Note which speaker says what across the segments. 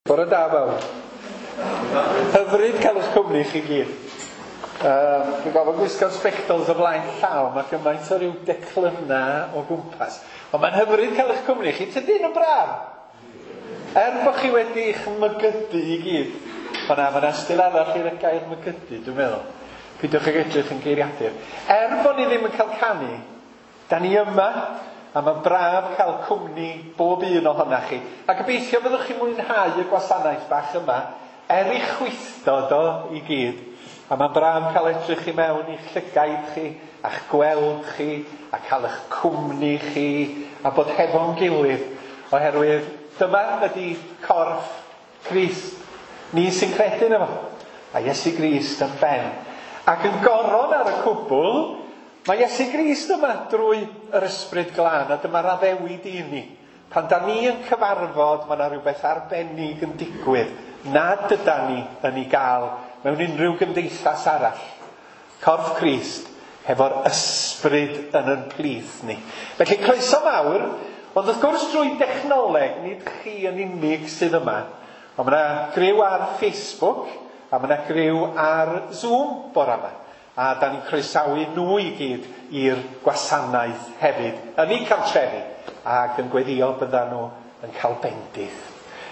Speaker 1: Bore da bawb. Hyfryd cael eich cwmni chi gyd. Dwi'n gofio gwisgo'r sbectols o flaen llaw, mae gymaint o ryw declynna o gwmpas. Ond mae'n hyfryd cael eich cwmni chi. Tydyn yn braf? Er bod chi wedi eich mygydu i gyd. O na, mae'n ystyr arall i'r gair mygydu, dwi'n meddwl. Peidiwch ag edrych yn geiriadur. Er bod ni ddim yn cael canu, da ni yma, a mae'n braf cael cwmni bob un ohonach chi. A gobeithio fyddwch chi'n mwynhau y gwasanaeth bach yma, er i chwithdod o i gyd. A mae'n braf cael edrych i mewn i'ch llygaid chi, a'ch gweld chi, a cael eich cwmni chi, a bod hefo'n gilydd, oherwydd dyma ydy corff Crist. Ni sy'n credu yno fo. A Iesu Grist yn ben. Ac yn goron ar y cwbl, mae Iesu Grist yma drwy yr Ysbryd Glân, a dyma'r addewid i ni. Pan da ni yn cyfarfod, mae yna rhywbeth arbennig yn digwydd nad yda ni yn ei gael mewn unrhyw gymdeithas arall. Corff Crist hefo'r ysbryd yn yn plith ni. Felly croeso mawr, ond wrth gwrs drwy dechnoleg, nid chi yn unig sydd yma, ond mae yna griw ar Facebook a mae yna griw ar Zoom bora yma. A da ni'n croesawu nhw i gyd i'r gwasanaeth hefyd, yn eu cartrefi, ac yn gweddio byddan nhw yn cael bendith.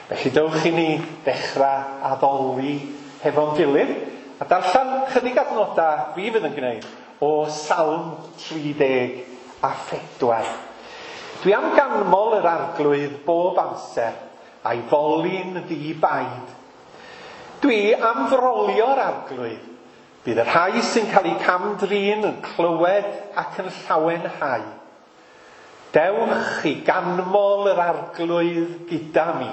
Speaker 1: Felly dewch i ni ddechrau addoli hefo'n gilydd, a darllen chydig adnodau fi fydd yn gwneud o Salm 34. Dwi am ganmol yr Arglwydd bob amser, a'i foli'n ddi-baid. Dwi am frolio'r Arglwydd. Bydd y rhai sy'n cael eu cam-drin yn clywed ac yn llawenhau. Dewch i ganmol yr Arglwydd gyda mi.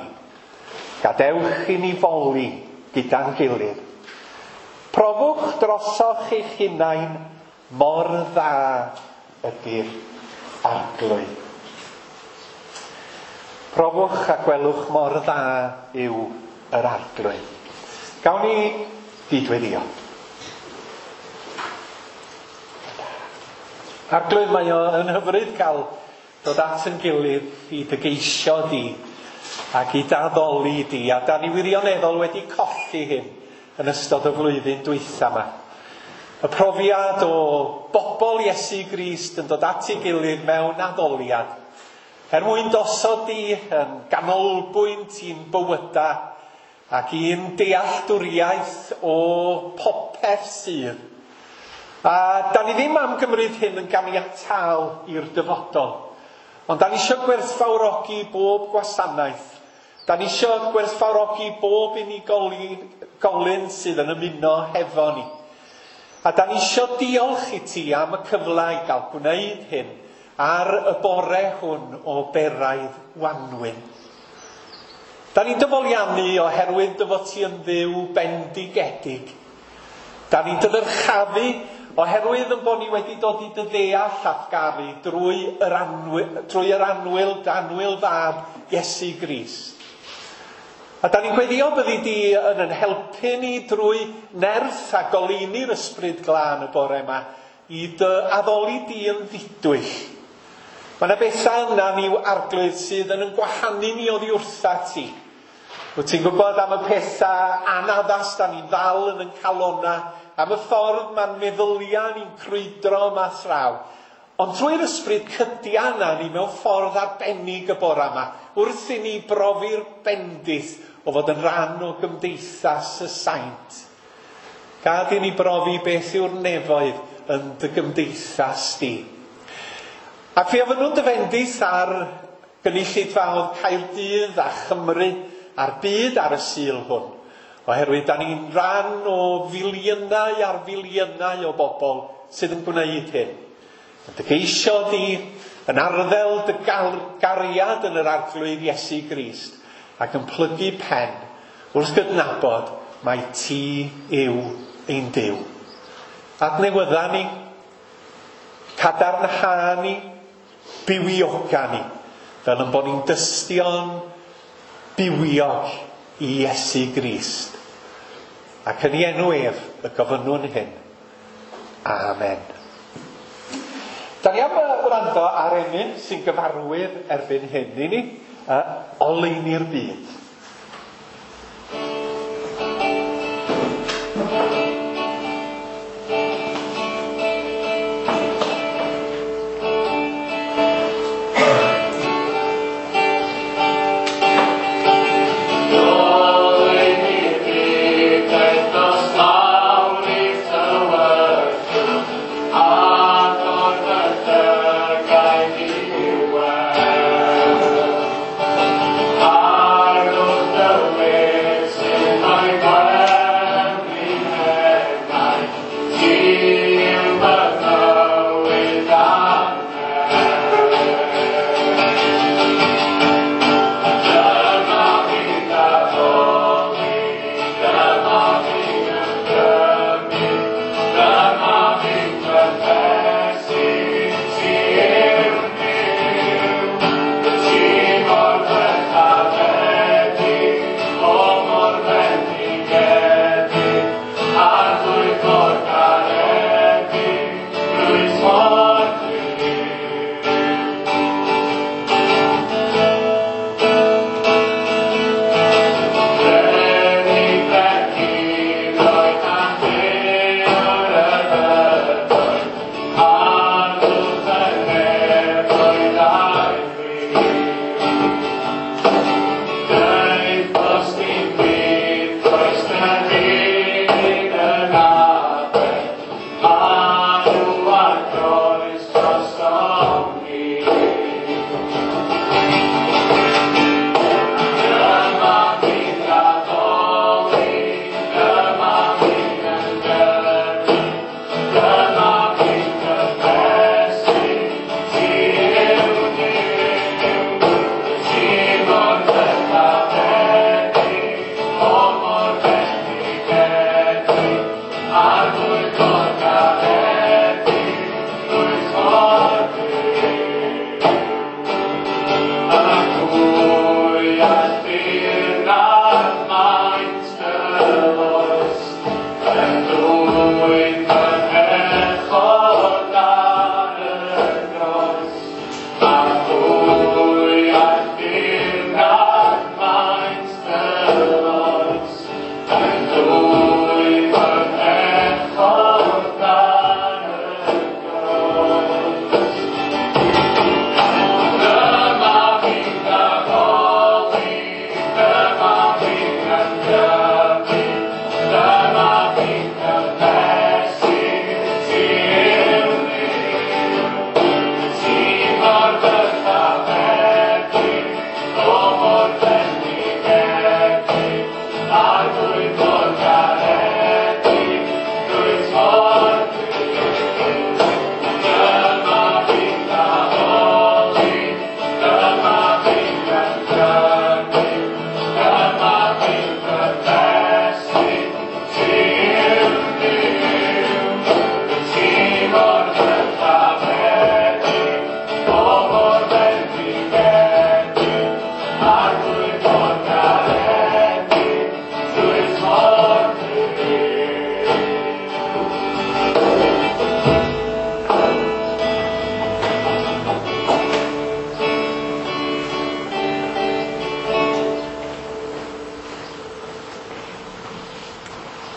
Speaker 1: Gadewch i ni foli gyda'n gilydd. Profwch drosoch eich hunain mor dda ydy'r Arglwydd. Profwch a gwelwch mor dda yw yr Arglwydd. Gawn ni gydweddio. Arglwydd, mae o yn hyfryd cael dod at yn gilydd i dy geisio di ac i daddoli di, a da ni wirioneddol wedi colli hyn yn ystod y flwyddyn dwytha yma. Y profiad o bobl Iesu Grist yn dod at ei gilydd mewn addoliad, er mwyn dosod di yn ganolbwynt i'n bywyda ac i'n dealltwriaeth o popeth sydd. A da ni ddim am gymryd hyn yn ganiataol i'r dyfodol, ond da ni eisiau gwerthfawrogi bob gwasanaeth. Da ni eisiau gwerthfawrogi bob unigolyn sydd yn ymuno hefo ni. A da ni eisiau diolch i ti am y cyfle i gael gwneud hyn ar y bore hwn o beraidd wanwyn. Da ni'n dyfoliannu oherwydd dy fod ti yn Dduw bendigedig. Da ni'n dyddyrchafu oherwydd yn bod ni wedi dod i dy ddeall a'th garu drwy yr annwyl, dy annwyl fab Iesu Grist. A da ni'n gweddio byddi di yn yn helpu ni drwy nerth a goleuni'r Ysbryd Glân y bore yma i dy addoli di yn ddidwyll. Mae yna bethau yna ni Arglwydd sydd yn yn gwahanu ni oddi wrtha ti. Wyt ti'n gwybod am y pethau anaddas da ni'n ddal yn yn calona, am y ffordd mae'n meddyliau ni'n crwydro yma thraw. Ond trwy'r ysbryd cydia yna ni mewn ffordd arbennig y bore yma, wrth i ni brofi'r bendith o fod yn rhan o gymdeithas y saint. Gad i ni brofi beth yw'r nefoedd yn dy gymdeithas di. Ac fe ofynnwn dy fendith ar gynulleidfaoedd Caerdydd a Chymru a'r byd ar y Sul hwn, oherwydd da ni'n rhan o filiynau ar filiynau o bobl sydd yn gwneud hyn. Yn dy geisio di, yn arddel dy gariad yn yr Arglwydd Iesu Grist, ac yn plygu pen wrth gydnabod mai ti yw ein Duw. Adnewydda ni, cadarnha ni, bywioga ni, fel yn bod ni'n dystion bywiog i Iesu Grist. Ac yn ei enw ef y gofynnwn hyn. Amen. Da ni am wrando ar emyn sy'n gyfarwydd erbyn hyn i ni, Oleuni'r Byd.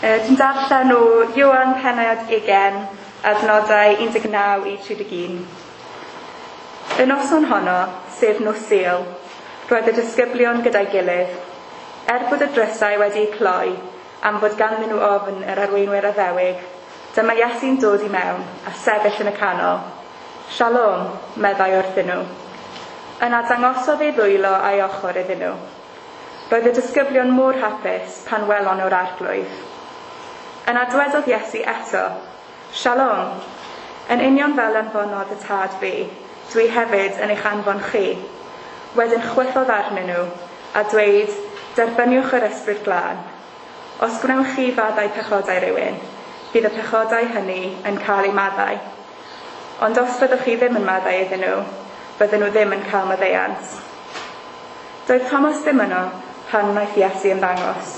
Speaker 2: Dwi'n darllen o Ioan pennod 20, adnodau 19 i 31. Y noson honno, sef nos Sul, roedd y disgyblion gyda'i gilydd, er bod y drysau wedi'u cloi am fod ganddyn nhw ofn yr arweinwyr addewig, dyma Iesu'n dod i mewn a sefyll yn y canol. Shalom, meddai wrthyn nhw. Yna dangosodd ei ddwylo a'i ochr iddyn nhw. Roedd y disgyblion mor hapus pan welon nhw'r arglwydd. Yna dywedodd Iesu eto, Shalom, yn union fel anfonodd y tad fi, dwi hefyd yn eich anfon chi. Wedyn chwythodd arnyn nhw a dweud, derbyniwch yr ysbryd glân. Os gwnewch chi faddau pechodau rhywun, bydd y pechodau hynny yn cael eu maddau. Ond os fyddwch chi ddim yn maddau iddyn nhw, bydden nhw ddim yn cael maddeuant. Doedd Thomas ddim yno pan wnaeth Iesu ymddangos.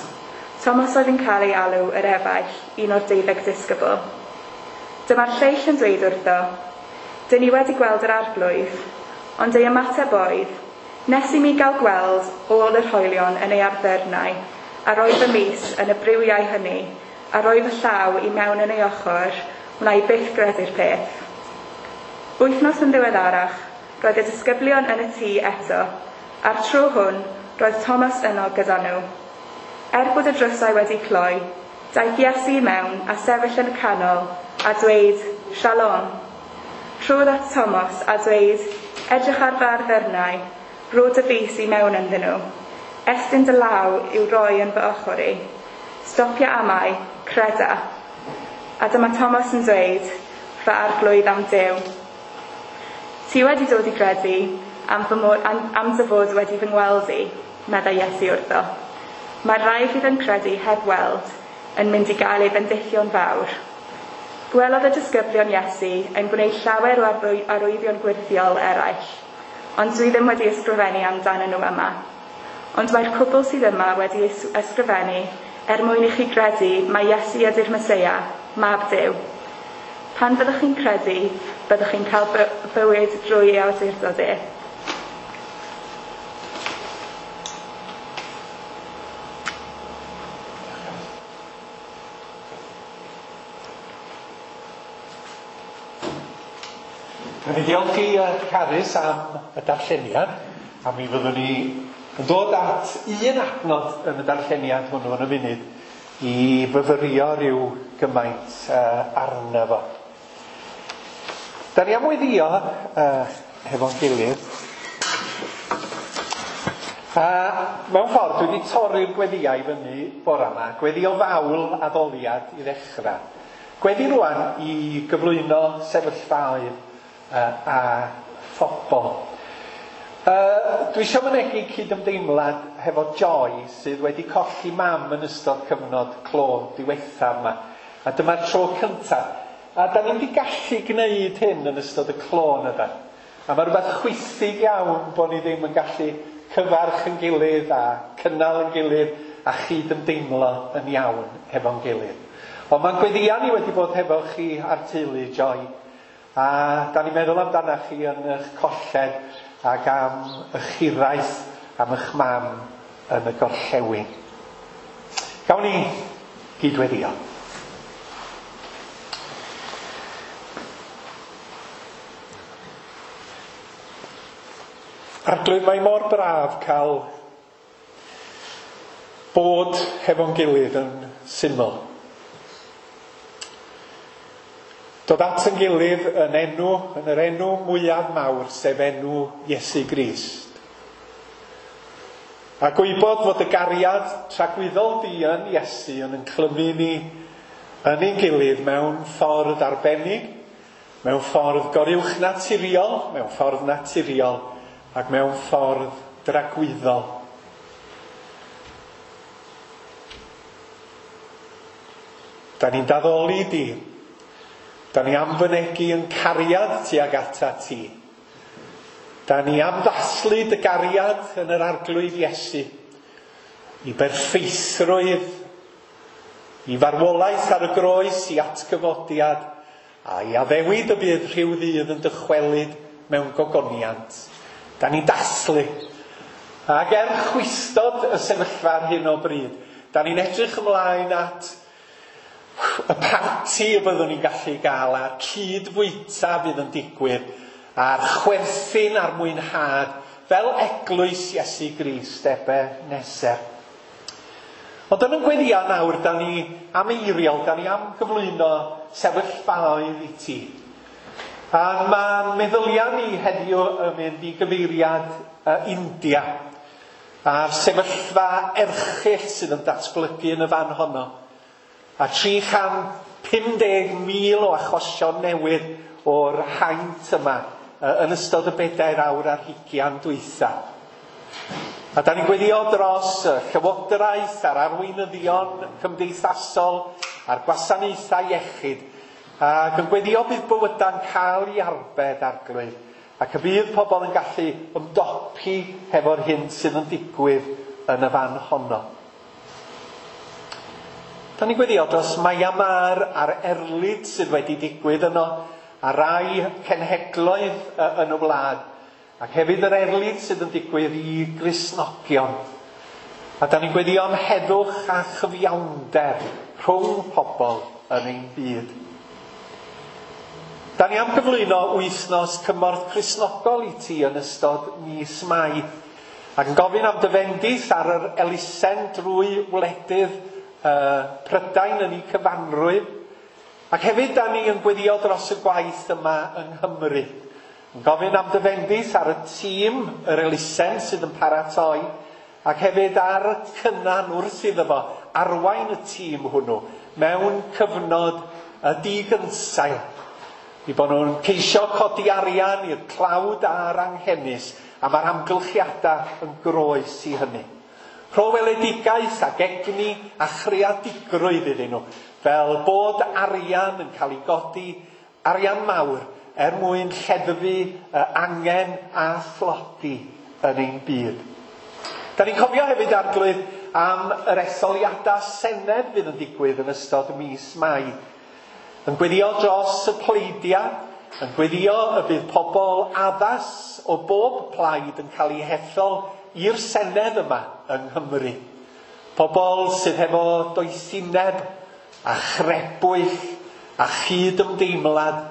Speaker 2: Thomas oedd yn cael ei alw yr efaill, un o'r 12 disgybl. Dyma'r lleill yn dweud wrtho, Dyn ni wedi gweld yr arglwydd, ond ei ymateb oedd, nes i mi gael gweld ôl yr hoelion yn ei arddyrnau, a roi fy mys yn y briwiau hynny, a roi fy llaw i mewn yn ei ochr, wna i byth gredu'r peth. Wythnos yn ddiweddarach, roedd y disgyblion yn y tŷ eto, a'r tro hwn roedd Thomas yno gyda nhw. Er bod y drysau wedi cloi, daeth Iesu i mewn a sefyll yn y canol a dweud, Shalom. Trodd at Thomas a dweud, edrych ar fy arddyrnau, rho dy fys i mewn ynddyn nhw. Estyn dy law i'w roi yn fy ochr i. Stopia amau, creda. A dyma Thomas yn dweud, fy arglwydd am Duw. Ti wedi dod i gredu am, fy mod, am dy fod wedi fy ngweld i, meddai Iesu wrtho. Mae'r rhai fydd yn credu heb weld yn mynd i gael ei bendithio'n fawr. Gwelodd y disgyblion Iesu yn gwneud llawer o arwyddion gwyrthiol eraill, ond dwi ddim wedi ysgrifennu amdanyn nhw yma. Ond mae'r cwbl sydd yma wedi ysgrifennu er mwyn i chi gredu mai Iesu ydy'r Meseia, mab Duw. Pan fyddwch chi'n credu, byddwch chi'n cael bywyd drwy ei awdurdod e.
Speaker 1: Dwi'n diolch i Carys am y darlleniad, a mi fyddwn ni yn dod at un adnod yn y darlleniad hwnnw yn y funud i fyfyrio rhyw gymaint arno fo. Da ni am weddïo hefo'n gilydd. A mewn ffordd dwi wedi torri'r gweddïau fyny bora yma. Gweddi o fawl addoliad i ddechrau. Gweddi rwan i gyflwyno sefyllfaoedd a phobl. Dwi eisiau mynegi cydymdeimlad hefo Joy sydd wedi colli mam yn ystod cyfnod clo diwethaf yma. A dyma'r tro cyntaf. A da ni'n wedi gallu gwneud hyn yn ystod y clo yna da. A mae rhywbeth chwithig iawn bod ni ddim yn gallu cyfarch yn gilydd a cynnal yn gilydd a chydymdeimlo yn iawn hefo'n gilydd. Ond mae'n gweddïau ni wedi bod hefo chi a'r teulu, Joy. A da ni'n meddwl amdanach chi yn eich colled ac am eich hiraeth, am eich mam yn y gorllewin. Gawn ni gydweddio. Arglwydd, mae mor braf cael bod hefo'n gilydd yn syml. Dod at yn gilydd yn enw, yn yr enw mwyaf mawr, sef enw Iesu Grist. A gwybod fod y gariad tragwyddol di yn Iesu yn clymu ni yn ein gilydd mewn ffordd arbennig, mewn ffordd goruwchnaturiol, mewn ffordd naturiol, ac mewn ffordd dragwyddol. Da ni'n daddoli di. Da ni am fynegi yn cariad tuag ata ti. Da ni am ddathlu dy gariad yn yr arglwydd Iesu i berffeithrwydd, i farwolaeth ar y groes, i atgyfodiad, a i addewid y bydd rhyw ddydd yn dychwelyd mewn gogoniant. Da ni'n dathlu. Ac er chwistod y sefyllfa ar hyn o bryd, da ni'n edrych ymlaen at y parti y byddwn ni'n gallu gael a'r cyd-fwyta fydd yn digwydd a'r chwerthin a'r mwynhad fel eglwys Iesu Grist Ebeneser. Ond yn y gweddia nawr, da ni am eiriol, da ni am gyflwyno sefyllfaoedd i ti. A mae meddyliau ni heddiw yn mynd i gyfeiriad India a'r sefyllfa erchyll sydd yn datblygu yn y fan honno. A 350,000 o achosion newydd o'r haint yma yn ystod y 4 awr ar hugian dwytha. A da ni'n gweddio dros y llywodraeth a'r arweinyddion cymdeithasol a'r gwasanaethau iechyd, ac yn gweddio bydd bywydau'n cael ei arbed, Arglwydd, ac y bydd pobl yn gallu ymdopi hefo'r hyn sydd yn digwydd yn y fan honno. Da ni'n gweddio dros Myanmar a'r erlid sydd wedi digwydd yno, a rai cenhedloedd yn y wlad, ac hefyd yr erlid sydd yn digwydd i Gristnogion. A da ni'n gweddio am heddwch a chyfiawnder rhwng pobl yn ein byd. Da ni am gyflwyno wythnos cymorth Cristnogol i ti yn ystod mis Mai, ac yn gofyn am dy fendith ar yr elusen drwy wledydd Prydain yn ei cyfanrwydd. Ac hefyd da ni yn gweddio dros y gwaith yma yng Nghymru. Yn gofyn am dy fendith ar y tîm, yr elusen sydd yn paratoi, ac hefyd ar y Cynan wrth iddo fo arwain y tîm hwnnw mewn cyfnod y digynsail. I bod nhw'n ceisio codi arian i'r tlawd a'r anghenus, a mae'r amgylchiadau yn groes i hynny. Rho weledigaeth ac egni a chreadigrwydd iddyn nhw, fel bod arian yn cael ei godi, arian mawr, er mwyn lleddfu angen a thlodi yn ein byd. Da ni'n cofio hefyd, Arglwydd, am yr etholiadau Senedd fydd yn digwydd yn ystod mis Mai. Yn gweddio dros y pleidiau, yn gweddio y bydd pobl addas o bob plaid yn cael eu hethol i'r Senedd yma yng Nghymru. Pobl sydd hefo doethineb a chrebwyll a chyd-ymdeimlad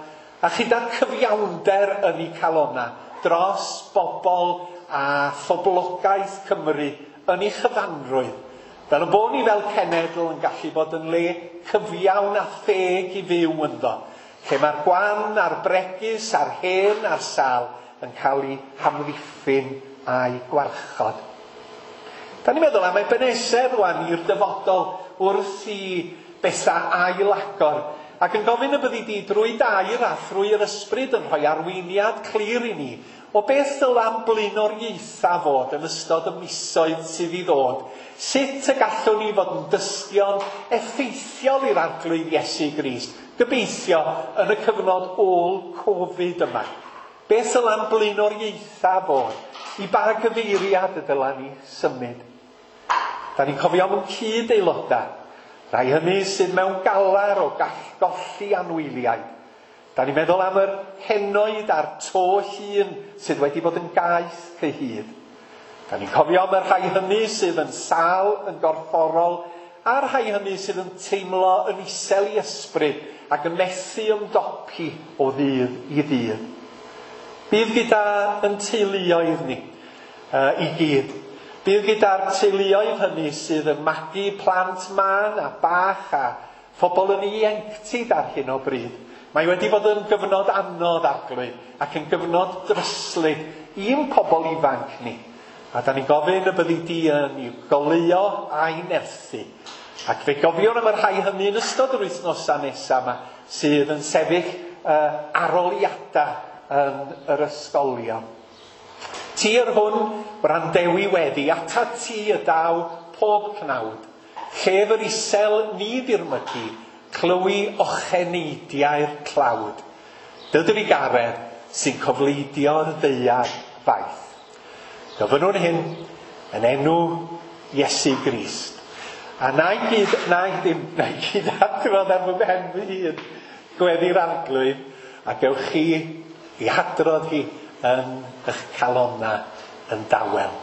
Speaker 1: a chyda'r cyfiawnder yn eu calona dros bobl a phoblogaeth Cymru yn ei chyfanrwydd. Fel y bod ni fel cenedl yn gallu bod yn le cyfiawn a theg i fyw ynddo, lle mae'r gwan a'r bregus a'r hen a'r sâl yn cael eu hamddiffyn a'i gwarchod. Da ni'n meddwl am Ebeneser rwan i'r dyfodol wrth i bethau ail-agor, ac yn gofyn y byddi di drwy dair a thrwy yr ysbryd yn rhoi arweiniad clir i ni o beth ddyla'n blaenoriaethau fod yn ystod y misoedd sydd i ddod. Sut y gallwn ni fod yn dystion effeithiol i'r Arglwydd Iesu Grist, gobeithio yn y cyfnod ôl-Covid yma. Beth ddyla'n blaenoriaethau fod? I ba gyfeiriad y dyla ni symud? Da ni'n cofio am ein cyd-aelodau, rai hynny sydd mewn galar o golli anwyliaid. Da ni'n meddwl am yr henoed a'r to llun sydd wedi bod yn gaeth cyhyd. Da ni'n cofio am y rhai hynny sydd yn sâl yn gorfforol a'r rhai hynny sydd yn teimlo yn isel i ysbryd ac yn methu ymdopi o ddydd i ddydd. Bydd gyda yn teuluoedd ni i gyd. Bydd gyda'r teuluoedd hynny sydd yn magu plant mân a bach a phobl yn ieuenctid ar hyn o bryd. Mae wedi bod yn gyfnod anodd, Arglwydd, ac yn gyfnod dryslyd i'n pobl ifanc ni. A da ni'n gofyn y byddi di yn i'w goleuo a'i nerthu. Ac fe gofiwn am y rhai hynny yn ystod yr wythnosau nesaf yma sydd yn sefyll aroliadau yn yr ysgolion. Ti yr hwn wrandewi weddi, ata ti y daw pob cnawd. Llef yr isel ni ddirmygu, clywi ocheneidiau'r tlawd. Dy drugaredd sy'n cofleidio'r ddaear faith. Gofynnwn hyn yn enw Iesu Grist. A na i gyd adrodd ar fy mhen fy hun gweddi'r Arglwydd, a gewch chi i hadrodd hi yn eich calonna yn dawel.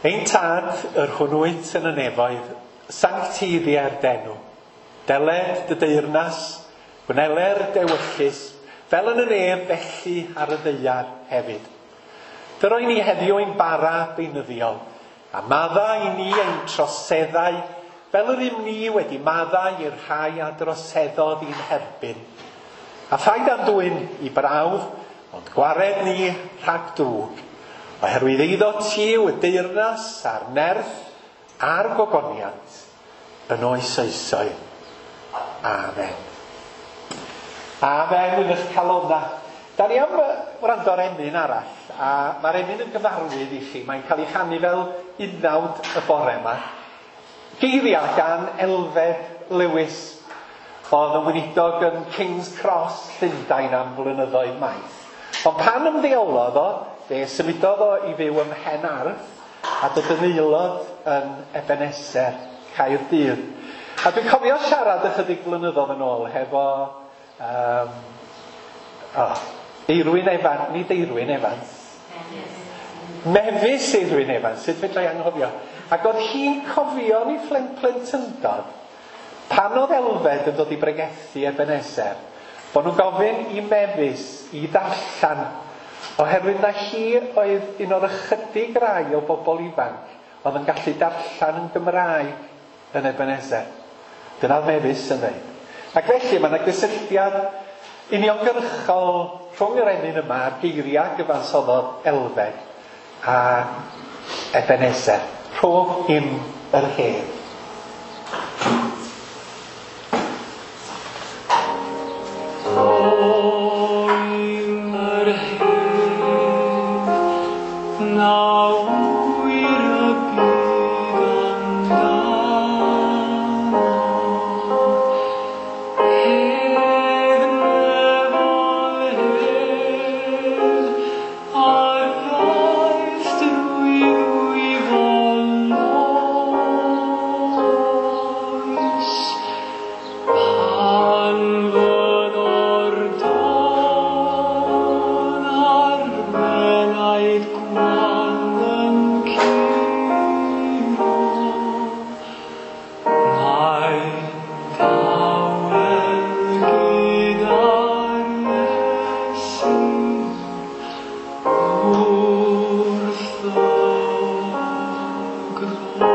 Speaker 1: Ein Tad, yr hwn wyt yn y nefoedd, sancteiddia'r denw. Deled dy deyrnas, gwneler dewyllys, fel yn y nef felly ar y ddaear hefyd. Dyroi ni heddiw ein bara beunyddiol, a maddau i ni ein troseddau, fel yr ym ni wedi maddau i'r rhai a droseddodd i'n herbyn. A phaid â'n dwyn i brawf, ond gwared ni rhag drwg, oherwydd eiddo ti yw y deyrnas a'r nerth a'r gogoniant yn oes oesoedd. Amen. Amen yn eich calonna. Da ni am wrando ar emyn arall, a mae'r emyn yn gyfarwydd i chi. Mae'n cael ei chanu fel unawd y bore yma. Geiriau gan Elfed Lewis, oedd yn weinidog yn King's Cross, Llundain am flynyddoedd maith. Ond pan ymddeolodd o, fe symudodd o i fyw ym Mhenarth a dod yn aelod yn Ebenezer, Caerdydd. A dwi'n cofio siarad ychydig blynyddoedd yn ôl hefo Eirwyn Evans, nid Eirwyn Evans. Mefus Eirwyn Evans, sut fedra i anghofio. Ac oedd hi'n cofio ni plentyndod, pan oedd Elfed yn dod i bregethu Ebenezer, bod nhw'n gofyn i Mefus i ddarllen, oherwydd na hi oedd un o'r ychydig rai o bobl ifanc oedd yn gallu darllen yn Gymraeg yn Ebenezer. Dyna'r Mefus yn dweud. Ac felly mae yna gysylltiad uniongyrchol rhwng yr emyn yma a'r geiriau gyfansoddodd Elfed a Ebenezer. Rho im yr hedd.
Speaker 3: Yr hedd na ŵyr y byd amdano, hedd nefol hedd a ddaeth drwy ddwyfol oes, pan fyddo'r don a'r menaid gwan yn curo, mae'n dawel gyda'r Iesu wrth y groes.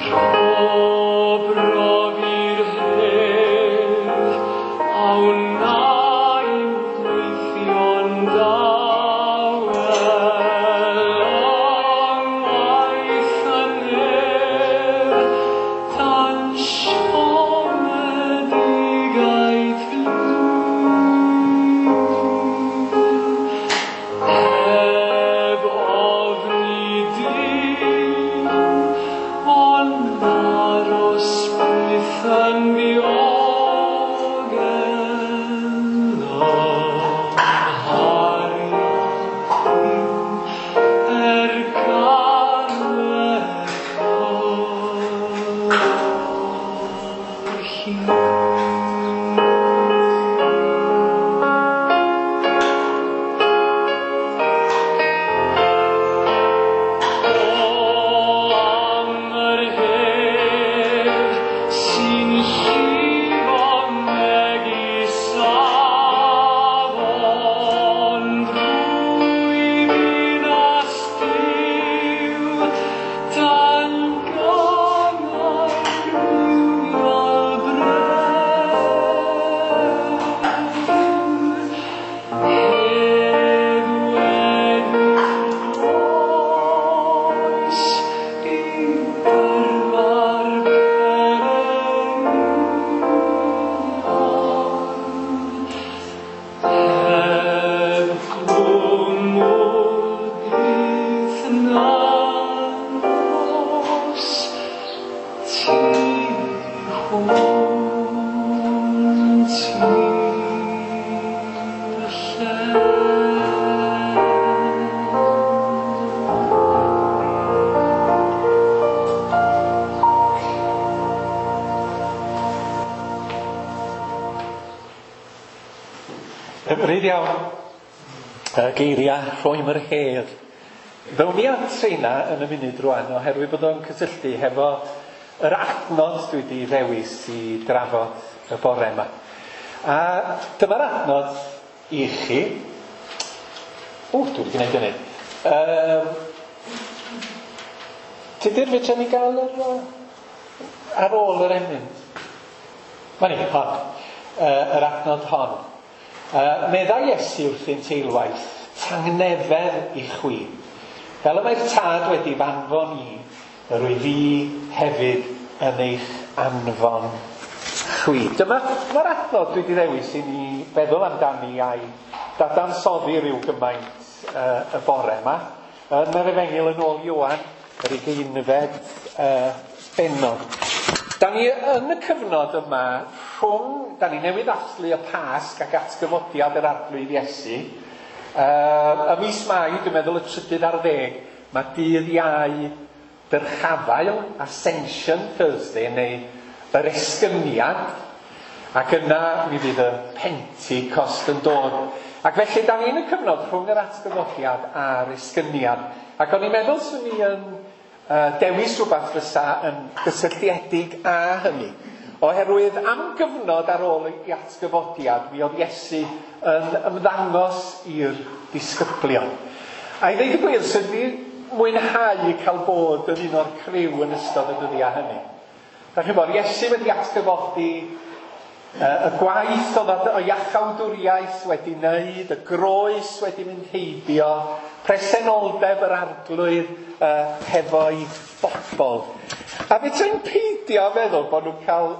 Speaker 3: Rho brofi'r hedd a wna i'm gweithio'n dawel, yng ngwaith y nef, tan siomedigaeth flin. Heb ofni dim, ond aros byth yn ddiogel ym nghariad er garwedd hir. O am yr hedd sy'n llifo megis afon drwy ddinas Duw, dan gannau rywiol bren. Hedd wedi'r oes i dyrfa'r pererinion, heb gwmwl byth na nos, tu hwnt i'r lle.
Speaker 1: Hyfryd iawn. Y geiriau rhwym yr hedd. Ddown ni at rheina yn y munud rwan oherwydd bod o'n cysylltu hefo yr adnod dwi wedi ddewis i drafod y bore yma. A dyma'r adnod i chi. O, dwi wedi gwneud hynny. Tudur, fedra ni gael yr, ar ôl yr emyn? Mae ni, hon. Yr adnod hon. Meddai Iesu wrthynt eilwaith, tangnefedd i chwi. Fel y mae'r tad wedi f'anfon i, yr wyf fi hefyd yn eich anfon chwi. Dyma'r adnod dwi wedi ddewis i ni feddwl amdani a'i dadansoddi rhyw gymaint y bore yma. Yn yr Efengyl yn ôl Ioan, yr 20fed bennod. Da ni yn y cyfnod yma rhwng, da ni newydd ddathlu y Pasg ac atgyfodiad yr Arglwydd Iesu. Y mis Mai, dwi'n meddwl y 13 ar 10, mae dydd Iau Dyrchafael, Ascension Thursday, neu yr Esgyniad, ac yna mi fydd y Pentecost yn dod. Ac felly, da ni yn y cyfnod rhwng yr atgyfodiad a'r Esgyniad. Ac o'n i'n meddwl swn i yn dewis rhywbeth fysa yn gysylltiedig â hynny. Oherwydd am gyfnod ar ôl ei atgyfodiad, mi oedd Iesu yn ymddangos i'r disgyblion. A i ddeud y gwir, swn i mwynhau cael bod yn un o'r criw yn ystod y dyddiau hynny. Da chi'n bod, Iesu wedi atgyfodi, y gwaith oedd o iachawdwriaeth wedi wneud, y groes wedi mynd heibio, presenoldeb yr Arglwydd hefo'i bobl. A fe ti'n peidio feddwl bod nhw'n cael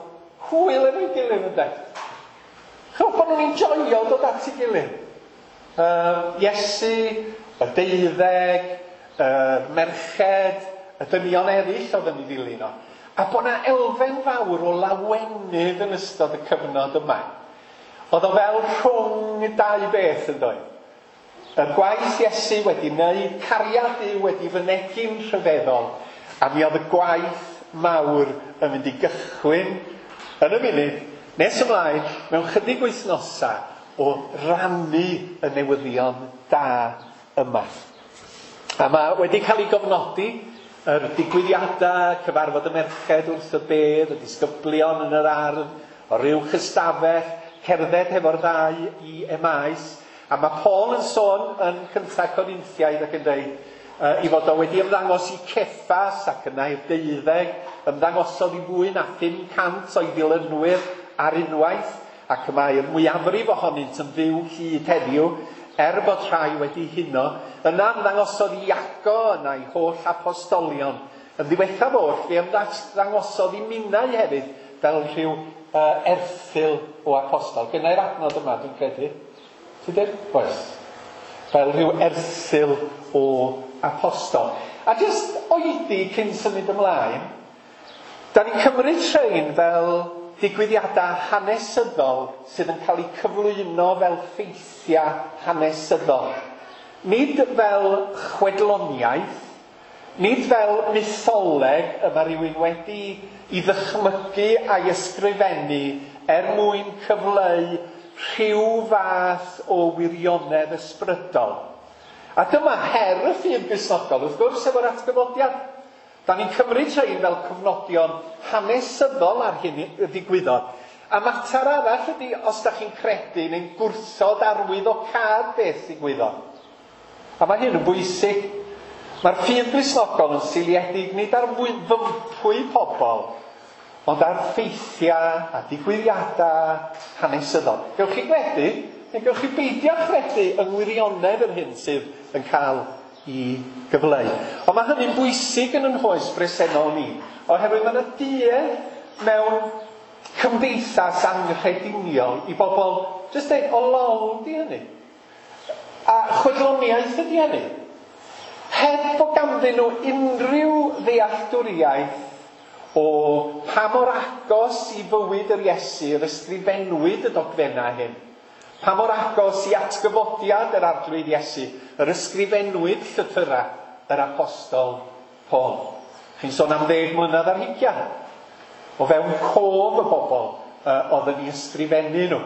Speaker 1: hwyl efo'i gilydd, ynde? Chwch bod nhw'n enjoio dod at ei gilydd. Iesu, y 12, y merched, y dynion eraill oedd yn ei ddilyn o. A bod yna elfen fawr o lawenydd yn ystod y cyfnod yma. Oedd o fel rhwng dau beth yn dweud. Y gwaith Iesu wedi wneud, cariad Duw wedi fynegi'n rhyfeddol, a mi oedd y gwaith mawr yn mynd i gychwyn yn y munud, nes ymlaen, mewn chydig wythnosau o rannu y newyddion da yma. A mae wedi cael ei gofnodi yr digwyddiadau, cyfarfod y merched wrth y bedd, y disgyblion yn yr ardd, o ryw ystafell, cerdded hefo'r ddau i Emaus. A mae Paul yn sôn yn Cynta Corinthiaid ac yn dweud i fod o wedi ymddangos i Ceffas ac yna i'r 12, ymddangosodd i fwy na 500 o'i ddilynwyr ar unwaith, ac mae'r mwyafrif ohonynt yn fyw hyd heddiw, er bod rhai wedi huno. Yna ymddangosodd i Iago, yna i holl apostolion. Yn ddiwethaf oll, fe ymddangosodd i minnau hefyd fel rhyw erthygl o apostol. Gynnai'r adnod yma, dwi'n credu. Ti'n dweud? Oes. Fel rhyw erthygl o apostol. A jyst oedi cyn symud ymlaen, da ni'n cymryd rhain fel digwyddiadau hanesyddol sydd yn cael eu cyflwyno fel ffeithiau hanesyddol. Nid fel chwedloniaeth, nid fel mytholeg y mae rhywun wedi i ddychmygu a'i ysgrifennu er mwyn cyfleu rhyw fath o wirionedd ysbrydol. A dyma her y ffydd Gristnogol, wrth gwrs, efo'r atgyfodiad. Da ni'n cymryd rhain fel cofnodion hanesyddol ar hyn y ddigwyddodd. A mater arall ydy os da chi'n credu neu'n gwrthod arwyddocâd beth ddigwyddodd. A mae hyn yn bwysig. Mae'r ffydd Gristnogol yn seiliedig nid ar fympwy pobl, ond ar ffeithiau a digwyddiadau hanesyddol. Gewch chi gredu, neu gewch chi beidio chredu yng ngwirionedd yr hyn sydd yn cael i gyfleu. Ond mae hynny'n bwysig yn ein hoes bresennol ni, oherwydd mae yna duedd mewn cymdeithas anghrediniol i bobl jyst dweud, o lol di hynny. A chwedloniaeth ydi hynny. Heb bod ganddyn nhw unrhyw ddealltwriaeth o pa mor agos i fywyd yr Iesu yr ysgrifennwyd y dogfennau hyn. Pa mor agos i atgyfodiad yr Arglwydd Iesu yr ysgrifennwyd llythyrau yr Apostol Paul. Chi'n sôn am 10 mlynedd ar hugain. O fewn cof y bobl oedd yn ei ysgrifennu nhw.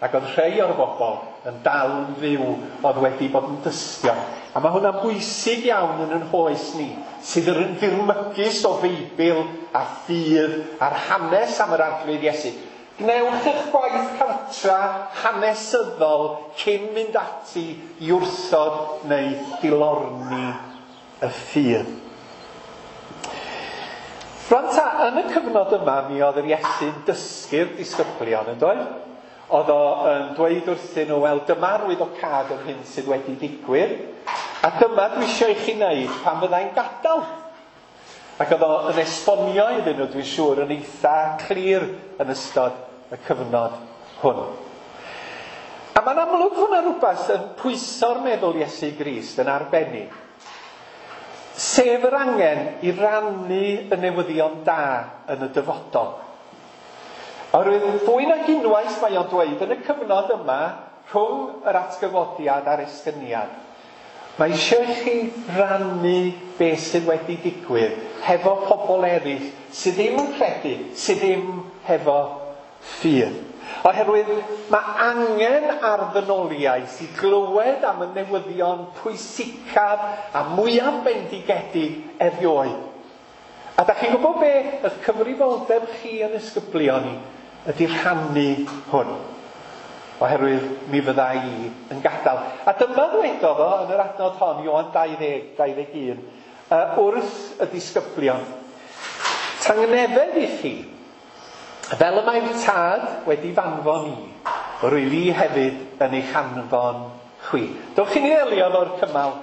Speaker 1: Ac oedd rhai o'r bobl yn dal yn fyw oedd wedi bod yn dystion. A mae hwnna'n bwysig iawn yn yn hoes ni, sydd yn ddirmygus o Feibl a ffydd a'r hanes am yr Arglwydd Iesu. Gwnewch eich gwaith cartra hanesyddol cyn mynd ati i wrthod neu dilorni y ffydd. Rwan ta, yn y cyfnod yma, mi oedd yr Iesu'n dysgu'r disgyblion, yn doedd? Oedd o yn dweud wrthyn nhw, wel, dyma arwyddocâd yr hyn sydd wedi digwydd, a dyma dwi eisiau i chi wneud pan fyddai'n gadael. Ac oedd o yn esbonio iddyn nhw, dwi'n siŵr, yn eitha clir yn ystod y cyfnod hwn. A mae'n amlwg hwnna rhywbeth yn pwyso'r meddwl Iesu Grist yn arbennig. Sef yr angen i rannu y newyddion da yn y dyfodol. Oherwydd fwy nag unwaith mae o'n dweud yn y cyfnod yma rhwng yr atgyfodiad a'r esgyniad, mae eisiau i chi rannu beth sydd wedi digwydd hefo pobl eraill sydd ddim yn credu, sydd ddim hefo ffydd. Oherwydd mae angen ar ddynoliaeth i glywed am y newyddion pwysicaf a mwyaf bendigedig erioed. A da chi'n gwybod be? Eich cyfrifoldeb chi yn ysgyblion ni ydy rhannu hwn. Oherwydd mi fydda i yn gadael. A dyma ddwedodd o yn yr adnod hon, Ioan 20, 21, wrth y disgyblion. Tangnefedd i chi, fel y mae'r Tad wedi fanfon i, rwyf i hefyd yn eich anfon chwi. Dowch i ni ddelio efo'r cymal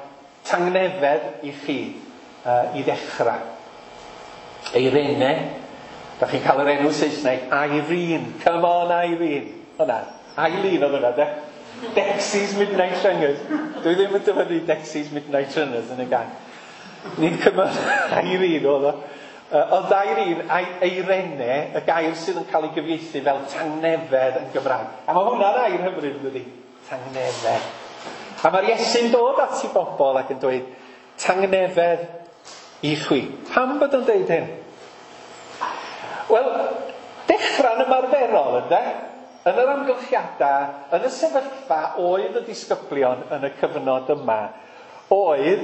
Speaker 1: tangnefedd i chi i ddechrau. Eirene, da chi'n cael yr enw Saesneg, Irene. Come on, Irene. Hwna, Eileen oedd hwnna, de? Dexys Midnight Runners. Dwi ddim yn dyfynnu Dexys Midnight Runners yn y gang. Ni'n cymryd Irene oedd o. Ond Irene, Eirene, y gair sydd yn cael ei gyfieithu fel tangnefedd yn Gymraeg. A mae hwnna'n air hyfryd, dydy? Tangnefedd. A mae'r Iesu'n dod at i bobl ac yn dweud, tangnefedd i chwi. Pam bod o'n dweud hyn? Wel, dechrau'n ymarferol, ynde? Yn yr amgylchiadau, yn y sefyllfa oedd y disgyblion yn y cyfnod yma, oedd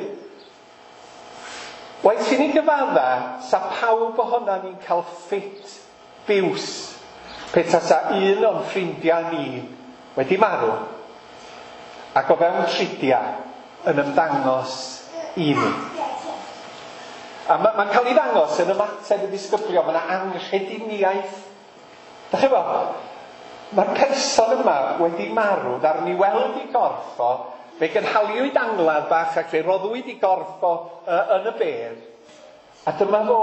Speaker 1: waeth i ni gyfadda, sa pawb ohona ni'n cael ffit biws pe tasa un o'n ffrindiau ni wedi marw ac o fewn tridiau yn ymddangos i ni. A mae'n cael ei ddangos yn ymateb y disgyblion, mae yna anghrediniaeth. Da chi bo? Mae'r person yma wedi marw, ddaru ni weld i gorff o, fe gynhaliwyd angladd bach ac fe roddwyd i gorff o yn y bedd. A dyma fo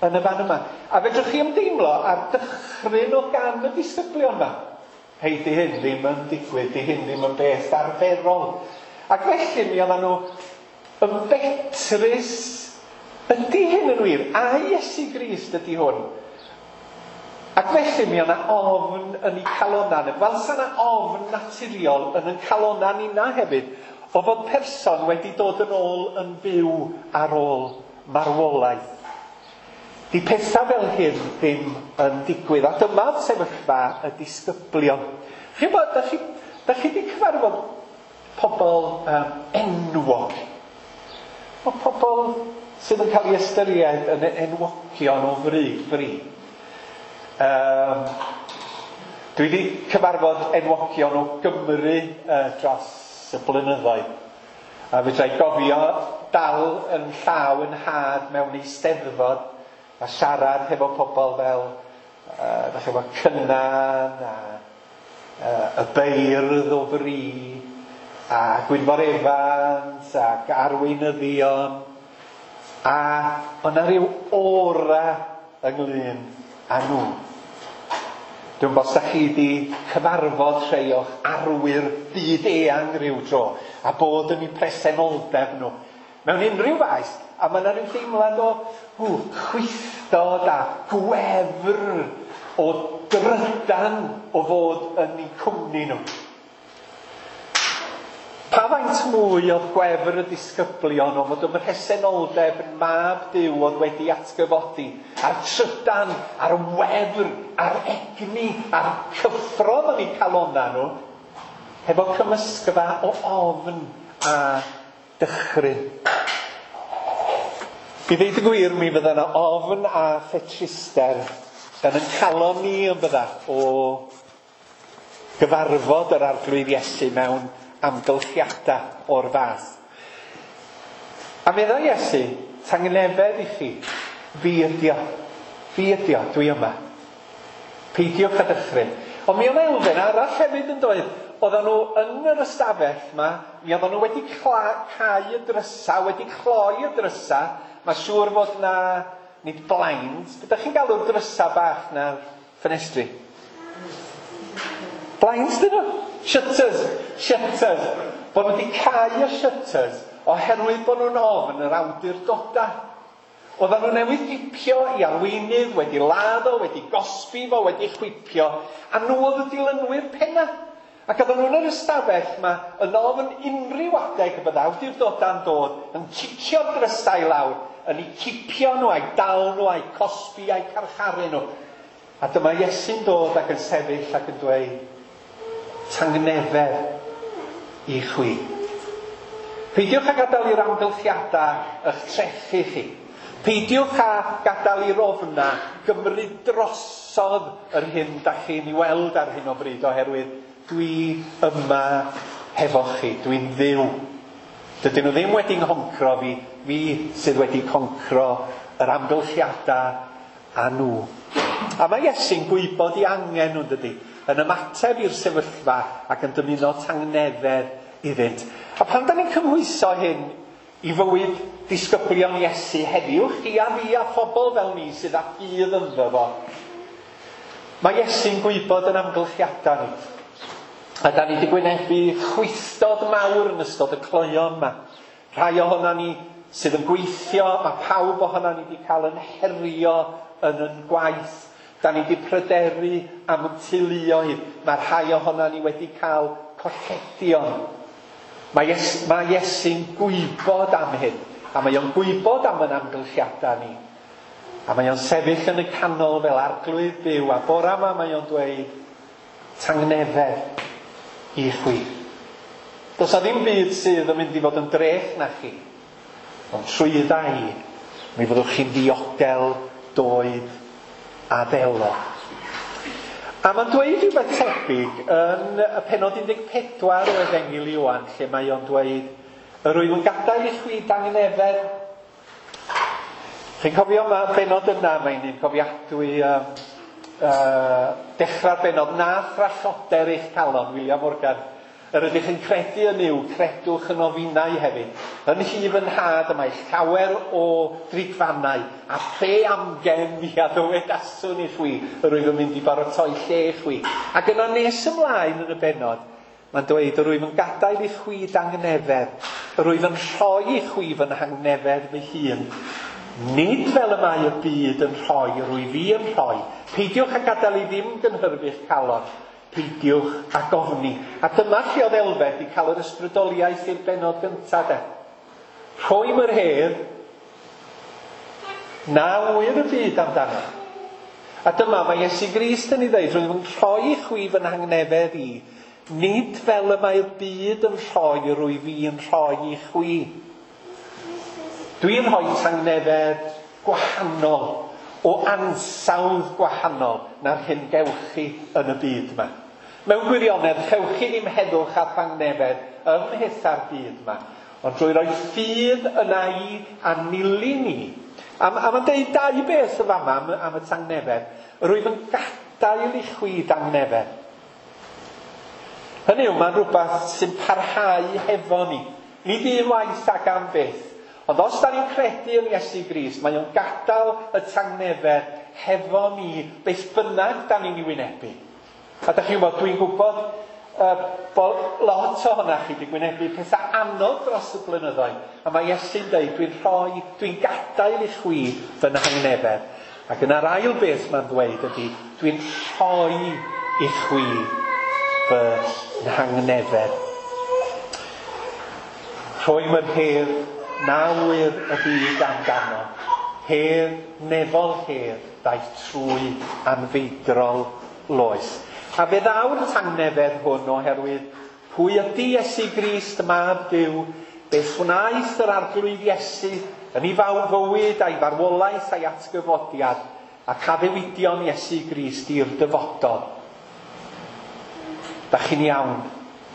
Speaker 1: yn y fan yma. A fedrwch chi ymdeimlo ar dychryn o gan y disgyblion yma. Hei, di hyn ddim yn digwydd, di hyn ddim yn beth arferol. Ac felly mi oedden nhw yn betrus. Ydy hyn yn wir? A Iesu Grist ydy hwn? Ac felly mi oedd yna ofn yn eu calonnau nhw. Fel sa yna ofn naturiol yn ein calonnau ninna hefyd, o fod person wedi dod yn ôl yn fyw ar ôl marwolaeth. Di pethau fel hyn ddim yn digwydd. A dyma'r sefyllfa y disgyblion. Chi'n bod, da chi wedi cyfarfod pobl enwog. O pobl sydd yn cael ei ystyried yn enwogion o fri. Dwi wedi cyfarfod enwogion o Gymru dros y blynyddoedd. A fedra i gofio dal yn llaw yn nhad mewn eisteddfod a siarad hefo pobl fel da chi efo Cynan a y beirdd o fri a Gwynfor Evans ac arweinyddion, a o'na rhyw aura ynglyn â nhw. Dwi'n gwybod os da chi wedi cyfarfod rhai o'ch arwyr byd eang rhyw dro a bod yn eu presenoldeb nhw mewn unrhyw faes, a mae yna rhyw deimlad o chwithdod a gwefr o drydan o fod yn eu cwmni nhw. Pa faint mwy oedd gwefr y disgyblion o fod ym mhresenoldeb yn mab Duw oedd wedi atgyfodi, a'r trydan, a'r wefr, a'r egni, a'r cyffro yn eu calonnau nhw. Hefo cymysgfa o ofn a dychryn. I ddeud y gwir, mi fydda yna ofn a phetruster yn yn calon ni yn bydda o gyfarfod yr Arglwydd Iesu mewn amgylchiadau o'r fath. A meddai Iesu, tangnefedd i chi, fi ydi o, fi ydi o, dwi yma. Peidiwch â dychryn. Ond mi oedd elfen arall hefyd yn doedd. Oedden nhw yn yr ystafell yma, mi oedden nhw wedi cau y drysa, wedi cloi y drysa. Mae siŵr fod na, nid blinds, beth ydych chi'n galw'r drysa bach na'r ffenestri? Blinds dyn nhw? Shutters, shutters. Bod nhw wedi cau y shutters oherwydd bod nhw'n ofn yr awdurdodau. Oedden nhw newydd gipio i arweinydd, wedi ladd o, wedi gosbi fo, wedi chwipio, a nhw oedd y dilynwyr penna. Ac oedden nhw'n yr ystafell yma yn ofn unrhyw adeg y bydda awdurdodau'n dod, yn cicio'r drysau lawr, yn eu cipio nhw, a'u dal nhw, a'u cosbi, a'u carcharu nhw. A dyma Iesu'n dod ac yn sefyll ac yn dweud, tangnefedd i chwi. Peidiwch â gadael i'r amgylchiadau eich trechu chi. Peidiwch â gadael i'r ofna gymryd drosodd yr hyn da chi'n ei weld ar hyn o bryd, oherwydd dwi yma hefo chi, dwi'n Dduw. Dydyn nhw ddim wedi nghoncro fi, fi sydd wedi concro yr amgylchiadau a nhw. A mae Iesu'n gwybod i angen nhw'n dydy, yn ymateb i'r sefyllfa ac yn dymuno tangnefedd iddynt. A pan da ni'n cymhwyso hyn i fywyd disgyblion Iesu heddiw, chi a fi a phobl fel ni sydd â ffydd ynddo fo, mae Iesu'n gwybod yn amgylchiadau ni. A da ni wedi gwynebu chwithdod mawr yn ystod y cloeon yma. Rhai ohono ni sydd yn gweithio, mae pawb ohono ni wedi cael yn herio yn yn gwaith. Da ni wedi pryderu am y teuluoedd. Mae rhai ohono ni wedi cael colledion. Mae Iesu'n gwybod am hyn, a mae o'n gwybod am yn amgylchiadau ni. A mae o'n sefyll yn y canol fel arglwydd byw, a bora yma mae o'n dweud, tangnefedd i chwi. Does na ddim byd sydd yn mynd i fod yn drech na chi, ond trwydda i, mi fyddwch chi'n ddiogel, doed a ddelo. A mae'n dweud rhywbeth tebyg yn y pennod 14 o Efengyl Ioan, lle mae o'n dweud, yr wyf yn gadael i chwi dangnefedd. Chi'n cofio yma, benod yna, mae'n un cofiadwy dechrau'r benod, na thralloder eich calon, William Morgan. Yr ydych yn credu yn Nuw, credwch yn ofinau hefyd. Yn nhŷ fy nhad y mae llawer o drigfannau, a phe amgen mi a ddywedaswn i chwi, yr wyf yn mynd i baratoi lle i chwi. Ac yna nes ymlaen yn y benod, mae'n dweud, yr wyf yn gadael i chwi dangnefedd, yr wyf yn rhoi i chwi fy nhangnefedd fy hun. Nid fel y mae y byd yn rhoi, yr wyf fi yn rhoi. Peidiwch â gadael i ddim gynhyrfu'ch calon. Peidiwch â gofni. A dyma lle oedd Elfed wedi cael yr ysbrydoliaeth i'r benod gyntaf de. Rhoi yr hedd, na ŵyr y byd amdano. A dyma mae Iesu Grist yn ei ddeud, rwyf yn rhoi i chwi fy nhangnefedd i, nid fel y mae'r byd yn rhoi, rwyf fi yn rhoi i chwi. Dwi'n rhoi tangnefedd gwahanol, o ansawdd gwahanol na'r hyn gewch chi yn y byd yma. Mewn gwirionedd, chewch chi ddim heddwch a thangnefedd ym mhetha'r byd yma, ond drwy roi ffydd yna i a nilyn ni. A mae'n deud dau beth y fama am y tangnefedd. Rwyf yn gadael i chwi dangnefedd. Hynny yw, mae'n rhywbeth sy'n parhau hefo ni. Nid un waith ac am byth. Ond os da ni'n credu yn Iesu Grist, mae o'n gadael y tangnefedd hefo ni, beth bynnag da ni'n ei wynebu. A da chi'n gwybod, dwi'n gwybod bod lot ohonoch chi wedi gwynebu pethau anodd dros y blynyddoedd. A mae Iesu'n dweud, dwi'n gadael i chwi fy nhangnefedd. Ac yna'r ail beth mae'n dweud ydy, dwi'n rhoi i chwi fy nhangnefedd. Rhoi yr hedd, na ŵyr y byd amdano, hedd nefol hedd ddaeth trwy anfeidrol loes. A fe ddaw'r tangnefedd hwn oherwydd Pwy ydy Iesu Grist, Mab Duw? Beth wnaeth yr Arglwydd Iesu yn ei fywyd a'i farwolaeth a'i atgyfodiad ac addewidion Iesu Grist i'r dyfodol? Da chi'n iawn,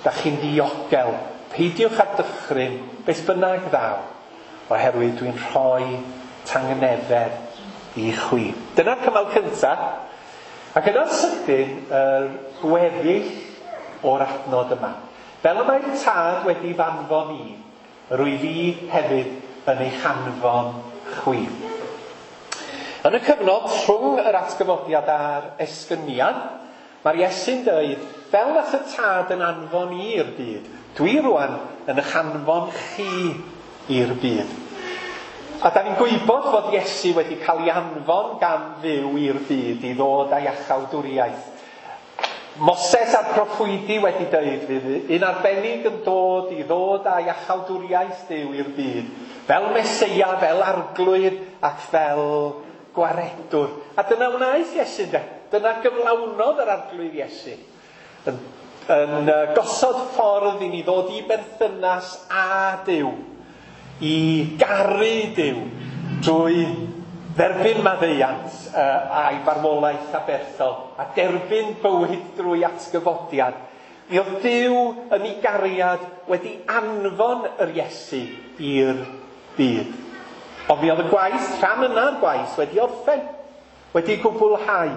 Speaker 1: da chi'n ddiogel, peidiwch â dychryn, beth bynnag ddaw, oherwydd dwi'n rhoi tangnefedd i chwi. Dyna'r cymal cyntaf. Ac yna'n sydyn, yr gweddill o'r adnod yma. Fel y mae'r Tad wedi f'anfon i, rwyf fi hefyd yn eich anfon chwi. Yn y cyfnod rhwng yr atgyfodiad a'r esgyniad, mae'r Iesu'n dweud, fel nath y Tad yn anfon i i'r byd, dwi rwan yn eich anfon chi i'r byd. A da ni'n gwybod fod Iesu wedi cael ei anfon gan Dduw i'r byd i ddod â'i iachawdwriaeth. Moses a'r proffwydi wedi dweud fydd un arbennig yn dod i ddod â iachawdwriaeth Duw i'r byd, fel Meseia, fel Arglwydd ac fel Gwaredwr. A dyna wnaeth Iesu, ynde? Dyna gyflawnodd yr Arglwydd Iesu. Yn gosod ffordd i ni ddod i berthynas â Duw, i garu Duw drwy dderbyn maddeuant a'i farwolaeth aberthol a derbyn bywyd drwy atgyfodiad. Mi oedd Duw yn ei gariad wedi anfon yr Iesu i'r byd. Ond mi oedd y gwaith, rhan yna'r gwaith, wedi orffen, wedi gwblhau.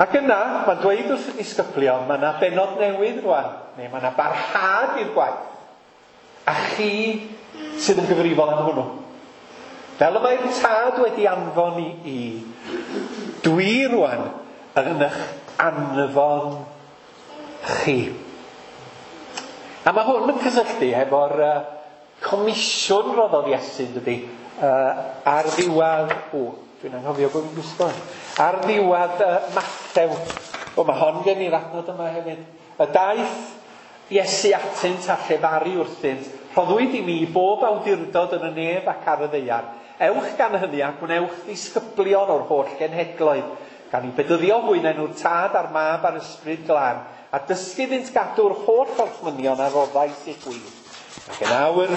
Speaker 1: Ac yna, mae'n dweud wrth y disgyblion, mae yna bennod newydd rwan, neu mae yna barhad i'r gwaith. A chi sydd yn gyfrifol am hwnnw. Fel y mae'r Tad wedi anfon i, dwi rwan yn eich anfon chi. A mae hwn yn cysylltu hefo'r comisiwn roddodd Iesu, dydy, ar ddiwedd, dwi'n anghofio bod fi'n gwisgo, ar ddiwedd Mathew. Mae hon gen i'r adnod yma hefyd. Y daeth Iesu atynt a llefaru wrthynt, rhoddwyd i mi bob awdurdod yn y nef ac ar y ddaear. Ewch gan hynny a gwnewch ddisgyblion o'r holl genhedloedd, gan i bedyddio hwy enw'r Tad a'r Mab a'r Ysbryd Glân, a dysgu iddynt gadw'r holl orchmynion a roddais i chwi. Ac yn awr,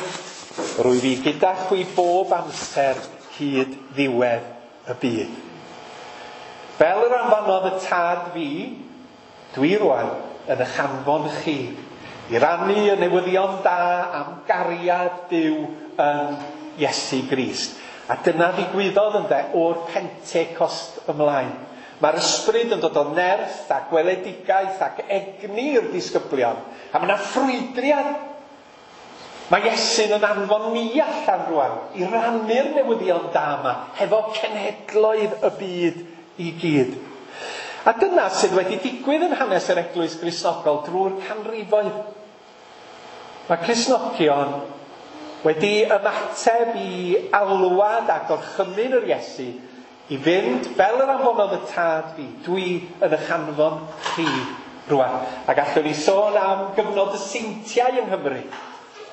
Speaker 1: rwyf fi gyda chwi bob amser hyd ddiwedd y byd. Fel yr anfonodd y Tad fi, dwi rwan yn eich anfon chi, i rannu y newyddion da am gariad Duw yn Iesu Grist. A dyna ddigwyddodd ynde o'r Pentecost ymlaen. Mae'r ysbryd yn dod o nerth a gweledigaeth ac egni i'r disgyblion. A mae yna ffrwydriad. Mae Iesu'n yn anfon ni allan rwan i rannu'r newyddion da yma hefo cenhedloedd y byd i gyd. A dyna sydd wedi digwydd yn hanes yr Eglwys Gristnogol drwy'r canrifoedd. Mae Cristnogion wedi ymateb i alwad a gorchymyn yr Iesu i fynd fel yr anfonodd y Tad fi, dwi yn eich anfon chi rwan. A gallwn ni sôn am gyfnod y seintiau yng Nghymru.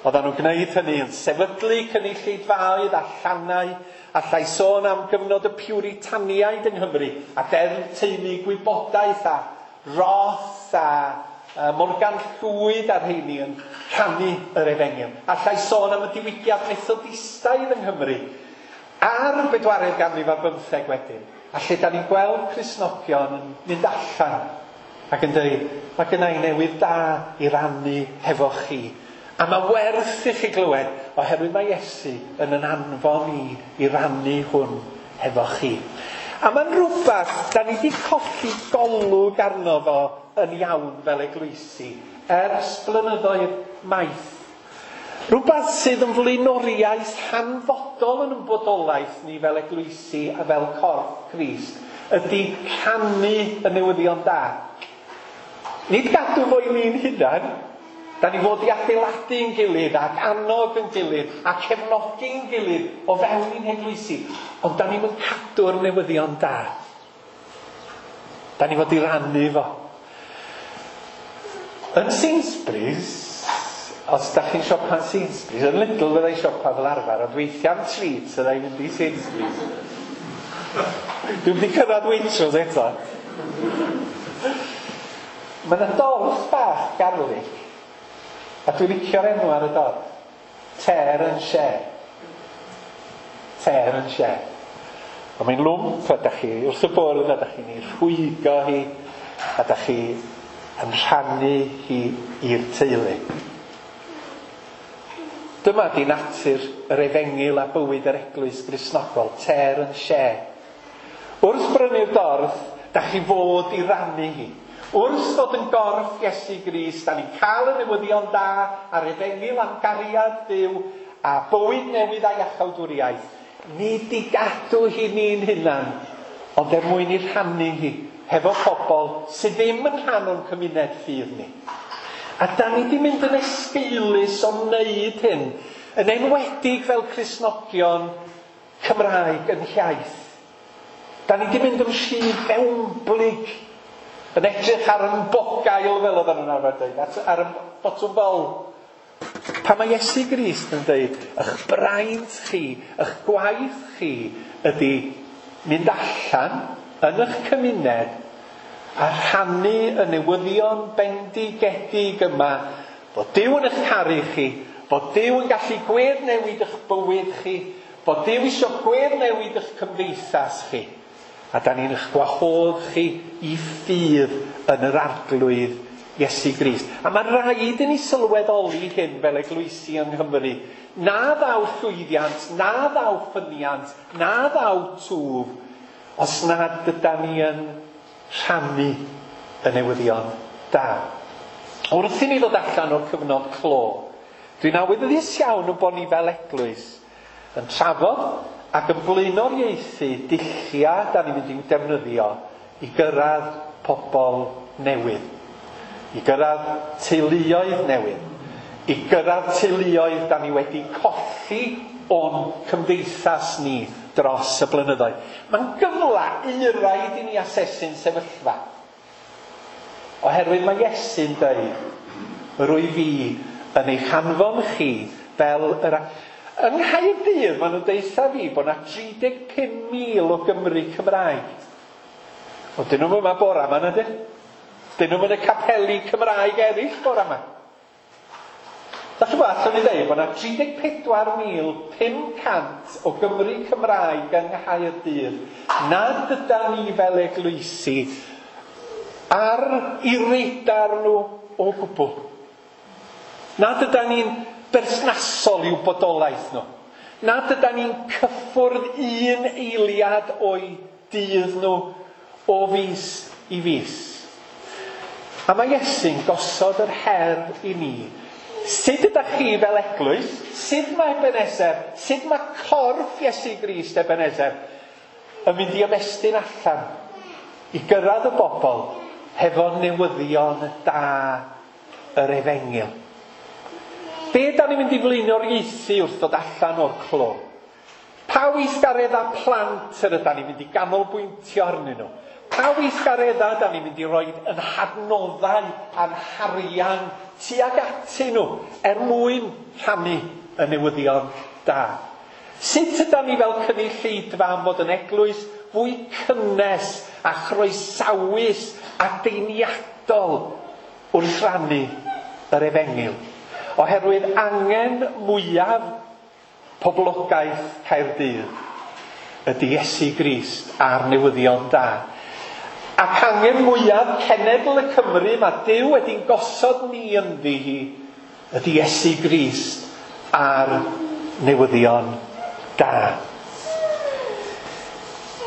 Speaker 1: Oedden nhw'n gwneud hynny yn sefydlu cynulleidfaoedd a llannau, allai sôn am gyfnod y Puritaniaid yng Nghymru, a deddf teulu gwybodaeth a Roth a Morgan Llwyd a'r rheini yn rhannu yr efengyl. Allai sôn am y diwygiad Methodistaidd yng Nghymru ar y bedwaredd ganrif ar bymtheg wedyn, a lle da ni'n gweld Cristnogion yn mynd allan ac yn dweud, mae gynna i newydd da i rannu hefo chi. A mae werth i chi glywed, oherwydd mae Iesu yn yn anfon i i rannu hwn hefo chi. A mae'n rhywbeth da ni wedi colli golwg arno fo yn iawn fel eglwysi ers blynyddoedd maith. Rhywbeth sydd yn flaenoriaeth hanfodol yn ein bodolaeth ni fel eglwysi a fel corff Crist ydy rhannu y newyddion da. Nid gadw fo i ni'n hunan. Da ni fod i adeiladu'n gilydd ac annog yn gilydd a cefnogi'n gilydd o fewn i'n heglwysi. Ond da ni'n cadw'r newyddion da. Da ni fod i rannu fo. Yn Sainsbury's, os da chi'n siopa yn Sainsbury's, yn Lidl fyddai siopa fel arfer, ond weithiau am treats fyddai mynd i Sainsbury's. Dwi'm wedi cyrraedd Waitrose eto. Mae yna dorth bach garlic A dwi'n licio'r enw ar y dorf. Tear and share. Tear and share. A mae'n lwmp a dach chi wrth y bwrdd a dach chi'n ei rhwygo hi a dach chi yn rhannu hi i'r teulu. Dyma di natur yr efengyl a bywyd yr eglwys Gristnogol, tear and share. Wrth brynu'r dorf, dach chi fod i rannu hi. Wrth fod yn gorff Iesu Grist, da ni'n cael y newyddion da a'r efengyl am gariad Duw a bywyd newydd a iachawdwriaeth. Nid i gadw hi ni'n hunan, ond er mwyn i rhannu hi hefo pobl sydd ddim yn rhan o'n cymuned ffydd ni. A da ni di mynd yn esgeulus o wneud hyn, yn enwedig fel Cristnogion Cymraeg yn hiaith. Da ni di mynd yn rhy fewnblyg, yn edrych ar yn bogail fel oedden nhw'n arfer dweud, ar y botwm bol. Pan mae Iesu Grist yn dweud, eich braint chi, eich gwaith chi ydy mynd allan yn eich cymuned a rhannu y newyddion bendigedig yma bod Duw yn eich caru chi, bod Duw yn gallu gweddnewid eich bywyd chi, bod Duw eisiau gweddnewid eich cymdeithas chi. A da ni'n eich gwahodd chi i ffydd yn yr Arglwydd Iesu Grist. A mae rhaid i ni sylweddoli hyn fel eglwysi yng Nghymru. Na ddaw llwyddiant, na ddaw ffyniant, na ddaw twf, os nad yda ni yn rhannu y newyddion da. Wrth i ni ddod allan o'r cyfnod clo, dwi'n awyddus iawn o bod ni fel eglwys yn trafod ac yn blaenoriaethu dulliau da ni'n mynd i'w defnyddio i gyrraedd pobl newydd, i gyrraedd teuluoedd newydd, i gyrraedd teuluoedd da ni wedi colli o'n cymdeithas ni dros y blynyddoedd. Mae'n gyfle euraid i ni asesu'n sefyllfa. Oherwydd mae Iesu'n dweud, rwy fi yn eich hanfon chi fel yr... Yng Nghaerdydd, maen nhw'n deutha fi bod yna 35,000 o Gymry Cymraeg. O, dyn nhw'n yma bora yma, na dyn? Dyn nhw'n yn y capeli Cymraeg eraill bora yma. Dach chi'n gwybod, allwn ni ddeud bod yna 34,500 o Gymry Cymraeg yng Nghaerdydd nad yda ni fel eglwysi ar i radar nhw o gwbl. Nad yda ni'n berthnasol i'w bodolaeth nhw. Nad yda ni'n cyffwrdd un eiliad o'i dydd nhw o fis i fis. A mae Iesu'n gosod yr her i ni. Sut ydych chi fel eglwys? Sut mae Ebenezer? Sut mae corff Iesu Grist Ebenezer yn mynd i ymestyn allan i gyrraedd y bobl hefo newyddion da yr efengyl? Be da ni'n mynd i flaenoriaethu wrth ddod allan o'r clo? Pa weithgareddau plant yr ydan ni'n mynd i ganolbwyntio arnyn nhw? Pa weithgareddau da ni'n mynd i roi yn hadnoddau a'n harian tuag atyn nhw er mwyn rhannu y newyddion da? Sut ydan ni fel cynulleidfa am fod yn eglwys fwy cynnes a chroesawus a deiniadol wrth rannu yr efengyl? Oherwydd angen mwyaf poblogaeth Caerdydd ydy Iesu Grist a'r newyddion da. Ac angen mwyaf cenedl y Cymru mae Duw wedi'n gosod ni ynddi hi ydy Iesu Grist a'r newyddion da.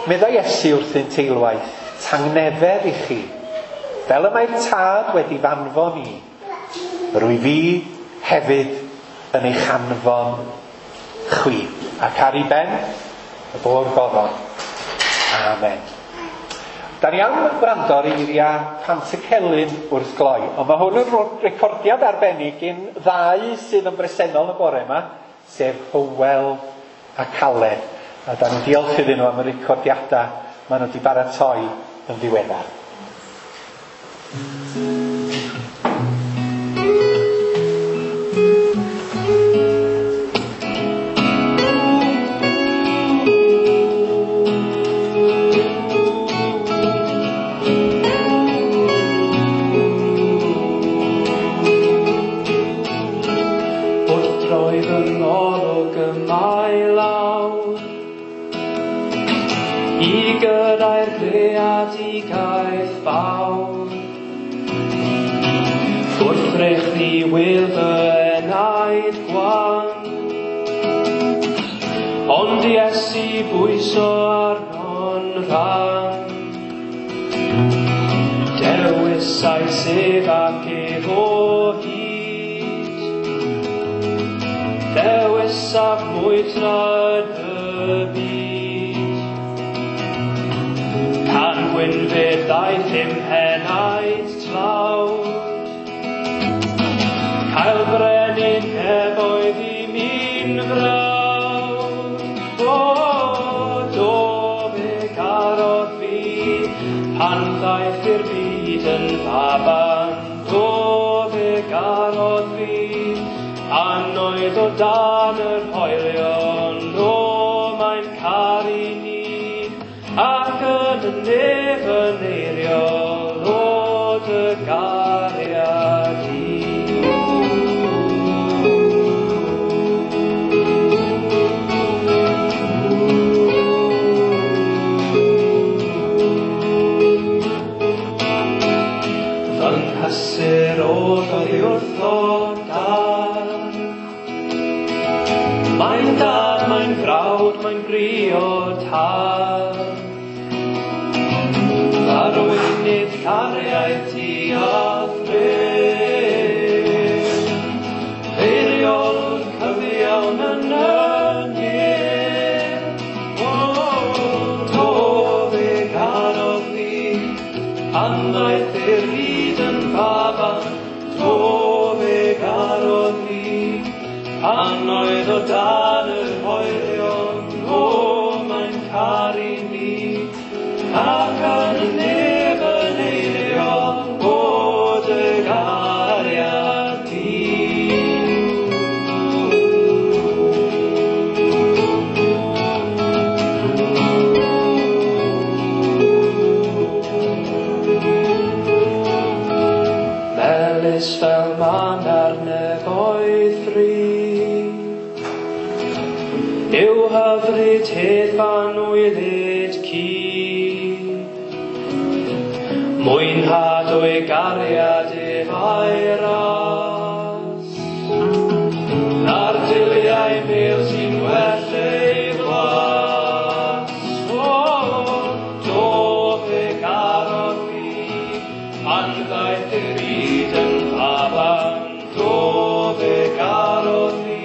Speaker 1: Meddai Iesu wrthyn teilwaith, tangnefedd i chi, fel y mae'r Tad wedi fanfon i, rwy fi hefyd yn eich anfon chwi. Ac ar ei ben, y bo'r goron. Amen. Da ni am wrando ar eiriau Pantycelyn wrth gloi, ond mae hwn yn recordiad arbennig un ddau sydd yn bresennol y bore yma, sef Hywel a Caled. A da ni'n diolch iddyn nhw am y recordiadau maen nhw wedi baratoi yn ddiweddar.
Speaker 3: gyrraedd greadigaeth fawr. Wrth ddrych wil fy enaid gwan, ond Iesu bwyso arno'n rhan. Dewisais ef ac ef o hyd, dewisaf mwy tra yn y byd. Pan gwynfyd ddaeth i'm henaid tlawd, cael brenin nefoedd i mi'n frawd. O, do fe garodd fi, pan ddaeth i'r byd yn faban. Do fe garodd fi, pan oedd o dan yr hoelion. O, mae'n caru ni, ac yn y nef yn eiriol, o dy gariad i. Fy nghysur oll oddi wrtho dad. Mae'n dad, mae'n frawd, mae'n briod tad. Arweinydd cariad ti a thref, eiriol cyfiawn yn y nef. O, do fe garodd fi, pan ddaeth i'r byd yn faban. Do fe garodd fi, pan oedd o dan yr hoelion. O, mae'n caru ni, ac yn y nef yn eiriol, o dy gariad di. Melys fel man ar nefoedd fri, yw hyfryd hedd fan wylyd ci. Mwynhad o'i gariad ef a'i ras, na'r diliau mel sy'n well ei flas. O, do fe garodd fi, pan ddaeth i'r byd yn faban. Do fe garodd fi,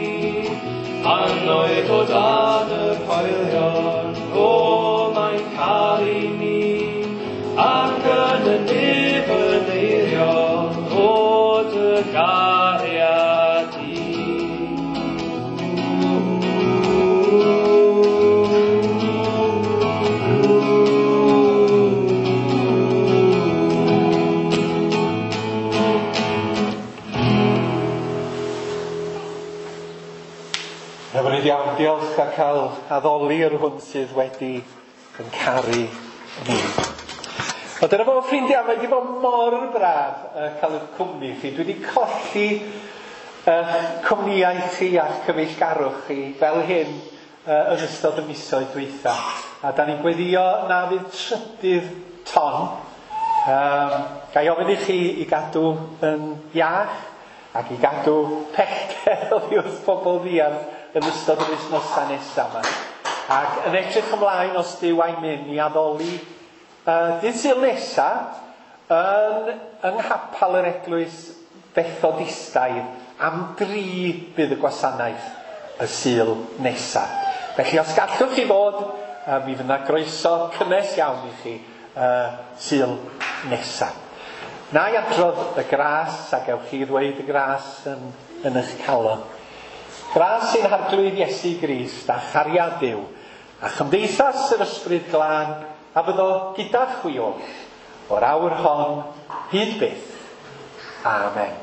Speaker 3: pan oedd o dan yr hoelion. O, mae'n caru ni, ac yn y nef yn eiriol, o dy gariad i.
Speaker 1: Hyfryd iawn, diolch a cael addoli yr hwn sydd wedi yn caru ni. Wel, dyna fo ffrindiau, mae wedi bod mor braf cael eich cwmni chi. Dwi wedi colli cwmnïau chi a'ch cyfeillgarwch chi fel hyn yn ystod y misoedd dwytha. A da ni'n gweddio na fydd trydydd ton. Ga i ofyn i chi i gadw yn iach ac i gadw pellter oddi wrth pobl ddiarth yn ystod yr wythnosau nesaf yma. Ac yn edrych ymlaen os Duw a'i mynd i addoli dydd Sul nesa yn yng nghapel yr Eglwys Fethodistaidd am 3 bydd y gwasanaeth y Sul nesa. Felly os gallwch chi fod, mi fydd yna groeso cynnes iawn i chi Sul nesa. Na i adrodd y gras, a gewch chi ddweud y gras yn eich calon. Gras sy'n Arglwydd Iesu Grist a chariad Duw, a chymdeithas yr Ysbryd Glân, a fyddo gyda chwi oll, o'r awr hon hyd byth. Amen.